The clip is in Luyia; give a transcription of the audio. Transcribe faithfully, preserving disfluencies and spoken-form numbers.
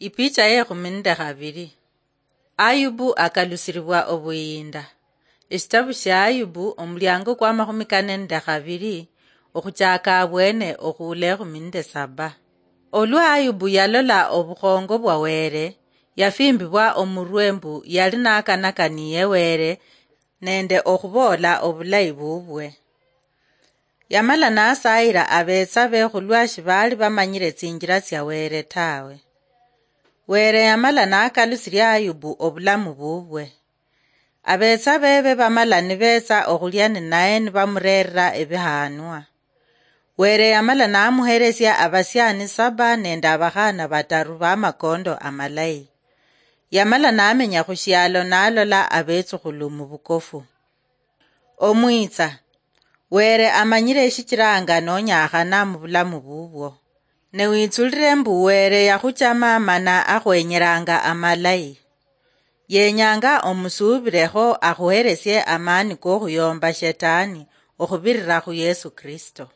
Ipicha yekhumi nende khabili. Ayubu akalusiribwa obuyinda. Eshitabu shia Ayubu, omuliango kwa makhumi kane nende khabili, okhuchaka abwene okhuula ekhumi nende saba. Olwa Ayubu yalola obukhongo bwa Wele, yafimbibwa omurwe mbu yali nakanakaniye Wele nende okhuboola obulayi bubwe. Yamala nasayila abetsabe khulwa shibaali bamanyile tsinjila tsia Wele tawe. Wele yamala nakalusilia Ayubu obulamu bubwe. Abetsabe be bamala nibetsa okhulia ninaye nibamureerera ebihanwa. Wele yamala namuhelesia abasiani saba nende abakhana bataru bamakondo amalayi. Yamala namenya khushialo nalola abetsukhulu mubukofu. Omwitsa, Wele amanyile eshichilanga nonyakhana mubulamu bubwo. Ne witsulile mbu Wele yakhuchama mana akhwenyelanga amalayi. Yenyanga omusuubilekho akhuhelesie amani kokhuyomba Shetani okhubirira khu Yesu Kristo.